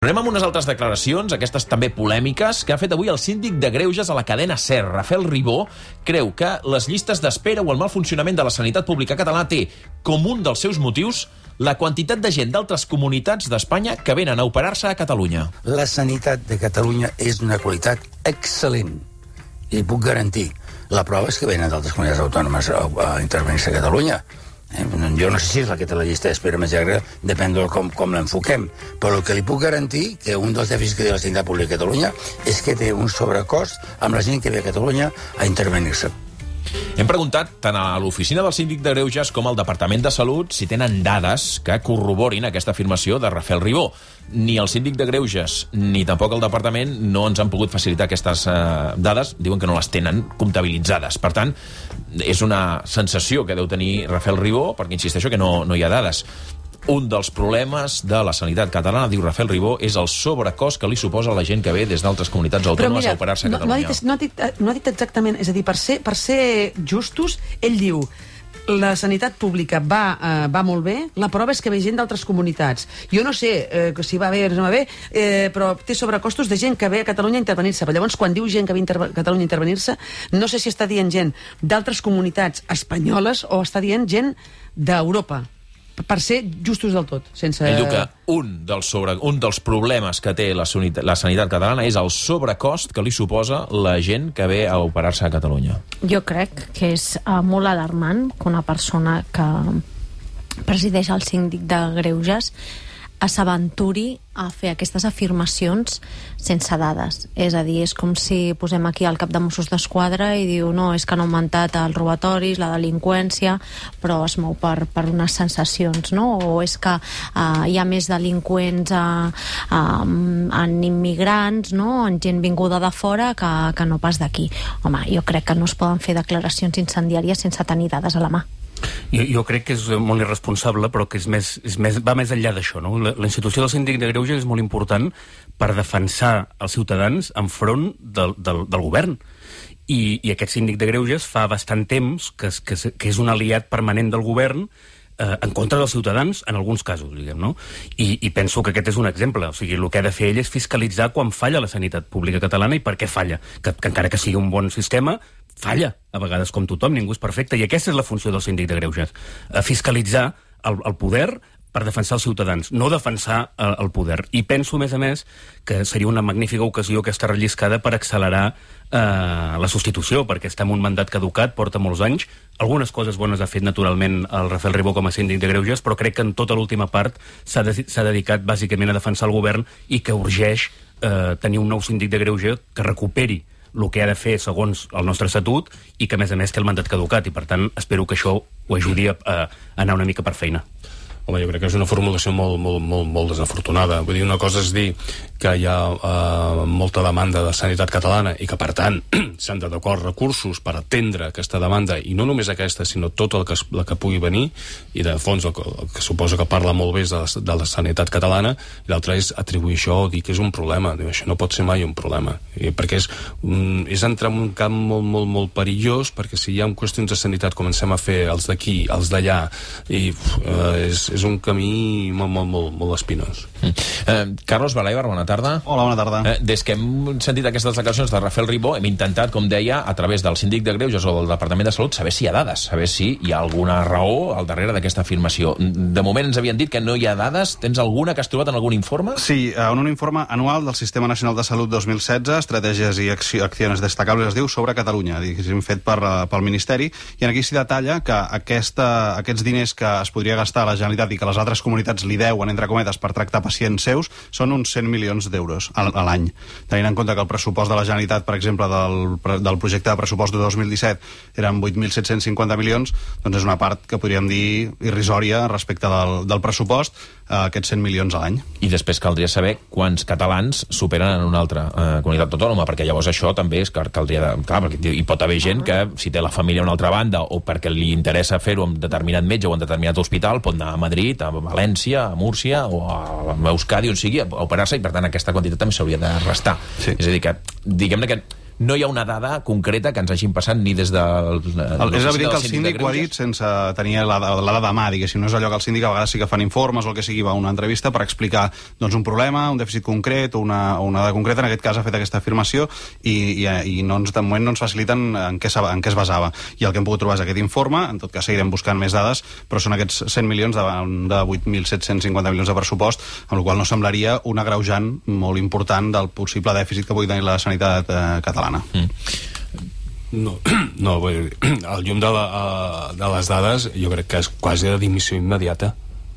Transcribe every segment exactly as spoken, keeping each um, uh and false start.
Anem amb unes altres declaracions, aquestes també polèmiques, que ha fet avui el síndic de Greuges a la cadena SER. Rafael Ribó creu que les llistes d'espera o el mal funcionament de la sanitat pública catalana té com un dels seus motius la quantitat de gent d'altres comunitats d'Espanya que venen a operar-se a Catalunya. La sanitat de Catalunya és d'una qualitat excel·lent, i puc garantir. La prova és que venen d'altres comunitats autònomes a, a intervenir-se a Catalunya. Eh? Jo no sé si és la que té la llista d'espera més llarga, depèn de com, com l'enfoquem, però el que li puc garantir que un dels dèficits que té la sanitat pública a Catalunya és que té un sobrecost amb la gent que ve a Catalunya a intervenir-se. Hem preguntat tant a l'oficina del síndic de Greuges com al Departament de Salut si tenen dades que corroborin aquesta afirmació de Rafael Ribó. Ni el síndic de Greuges ni tampoc el departament no ens han pogut facilitar aquestes eh, dades. Diuen que no les tenen comptabilitzades. Per tant, és una sensació que deu tenir Rafael Ribó, perquè insisteixo que no, no hi ha dades. Un dels problemes de la sanitat catalana, diu Rafael Ribó, és el sobrecost que li suposa a la gent que ve des d'altres comunitats autònomes a operar-se a Catalunya. No, no, ha dit, no, ha dit, no ha dit exactament, és a dir, per ser, per ser justos, ell diu la sanitat pública va, eh, va molt bé, la prova és que ve gent d'altres comunitats. Jo no sé eh, si va bé o no va bé, eh, però té sobrecostos de gent que ve a Catalunya a intervenir-se. Però llavors, quan diu gent que ve a Catalunya a intervenir-se, no sé si està dient gent d'altres comunitats espanyoles o està dient gent d'Europa, per ser justos del tot. Sense... Ell diu que un dels, sobre, un dels problemes que té la, la sanitat catalana és el sobrecost que li suposa la gent que ve a operar-se a Catalunya. Jo crec que és uh, molt alarmant que una persona que presideix el síndic de Greuges s'aventuri a fer aquestes afirmacions sense dades. És a dir, és com si posem aquí al cap de Mossos d'Esquadra i diu no, és que han augmentat els robatoris, la delinqüència, però es mou per, per unes sensacions, no? O és que uh, hi ha més delinqüents uh, uh, en immigrants, no? En gent vinguda de fora que, que no pas d'aquí. Home, jo crec que no es poden fer declaracions incendiàries sense tenir dades a la mà. Jo, jo crec que és molt irresponsable, però que és més, és més, va més enllà d'això, no? La, la institució del síndic de Greuges és molt important per defensar els ciutadans enfront del, del, del govern. I, I aquest síndic de Greuges fa bastant temps que, que, que és un aliat permanent del govern eh, en contra dels ciutadans, en alguns casos, diguem, no? I, I penso que aquest és un exemple. O sigui, el que ha de fer ell és fiscalitzar quan falla la sanitat pública catalana i per què falla. Que, que encara que sigui un bon sistema, falla, a vegades com tothom, ningú és perfecte, i aquesta és la funció del síndic de Greuges, fiscalitzar el, el poder per defensar els ciutadans, no defensar el, el poder. I penso, a més a més, que seria una magnífica ocasió aquesta relliscada per accelerar eh, la substitució, perquè està en un mandat caducat, porta molts anys. Algunes coses bones ha fet, naturalment, el Rafael Ribó com a síndic de Greuges, però crec que en tota l'última part s'ha de, s'ha dedicat bàsicament a defensar el govern i que urgeix eh, tenir un nou síndic de Greuges que recuperi el que ha de fer segons el nostre estatut i que, a més a més, té el mandat caducat i, per tant, espero que això ho ajudi a, a anar una mica per feina. Home, jo crec que és una formulació molt, molt, molt, molt desafortunada. Vull dir, una cosa és dir que hi ha uh, molta demanda de sanitat catalana i que, per tant, s'han d'adequar recursos per atendre aquesta demanda, i no només aquesta, sinó tota el que, la que pugui venir, i de fons el que, el que suposo que parla molt bé de la, de la sanitat catalana, i l'altre és atribuir això o dir que és un problema. Diu, això no pot ser mai un problema. I perquè és, um, és entrar en un camp molt, molt, molt perillós, perquè si hi ha qüestions de sanitat comencem a fer els d'aquí, els d'allà, i uh, és, és un camí molt, molt, molt, molt espinós. Mm. Eh, Carlos Balaibar, bona tarda. Hola, bona tarda. Eh, des que hem sentit aquestes declaracions de Rafael Ribó, hem intentat, com deia, a través del síndic de Greuges o del Departament de Salut, saber si hi ha dades, saber si hi ha alguna raó al darrere d'aquesta afirmació. De moment ens havien dit que no hi ha dades. Tens alguna que has trobat en algun informe? Sí, en un informe anual del Sistema Nacional de Salut dos mil setze, Estratègies i Accions Destacables, es diu, sobre Catalunya, diguéssim, fet per, pel Ministeri, i aquí s'hi detalla que aquesta, aquests diners que es podria gastar a la Generalitat i que les altres comunitats li deuen, entre cometes, per tractar pacients seus, són uns cent milions d'euros a l'any. Tenint en compte que el pressupost de la Generalitat, per exemple, del, del projecte de pressupost de dos mil disset eren vuit mil set-cents cinquanta milions, doncs és una part que podríem dir irrisòria respecte del, del pressupost, eh, aquests cent milions a l'any. I després caldria saber quants catalans superen en una altra eh, comunitat autònoma, perquè llavors això també és que caldria... De, clar, perquè hi pot haver gent que, si té la família a una altra banda o perquè li interessa fer-ho amb determinat metge o en determinat hospital, pot anar a Madrid, a València, a Múrcia o a Euskadi, on sigui, a operar-se, i per tant aquesta quantitat també s'hauria de restar. Sí. És a dir, que diguem-ne que no hi ha una dada concreta que ens hagin passat ni des del... El, és evident que el síndic ho ha dit sense tenir la, la dada a mà, diguéssim. No és allò que el síndic a vegades sí que fan informes o el que sigui, va a una entrevista per explicar doncs, un problema, un dèficit concret o una, una dada concreta. En aquest cas ha fet aquesta afirmació i, i, i no ens, de moment no ens faciliten en què, en què es basava. I el que hem pogut trobar és aquest informe, en tot cas seguirem buscant més dades, però són aquests cent milions davant de vuit mil set-cents cinquanta milions de pressupost, amb la qual no semblaria un agreujant molt important del possible dèficit que pugui tenir la sanitat eh, catalana. Mm. No, no, vull dir, al llum de, la, de les dades jo crec que és quasi de dimissió immediata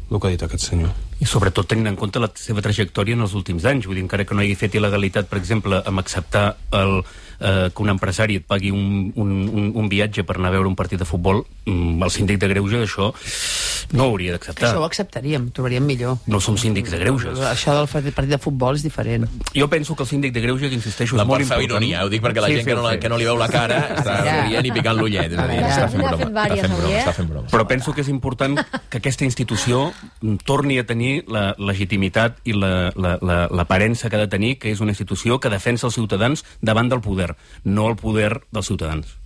el que ha dit aquest senyor. I sobretot tenint en compte la seva trajectòria en els últims anys. Vull dir, encara que no hagi fet il·legalitat, per exemple, amb acceptar el, eh, que un empresari et pagui un, un, un, un viatge per anar a veure un partit de futbol, el síndic de greuges això no ho hauria d'acceptar. Això ho acceptaríem, trobaríem millor. No som síndics de greuges. Això del partit de futbol és diferent. Jo penso que el síndic de greuges, insisteixo, la és molt important. Ironia, ho dic perquè la sí, gent que no, la, que no li veu la cara està rient i picant l'ullet. És a dir, està fent broma. Està fent broma, està fent broma. Però penso que és important que aquesta institució torni a tenir la legitimitat i l'aparença que ha de tenir, que és una institució que defensa els ciutadans davant del poder, no el poder dels ciutadans.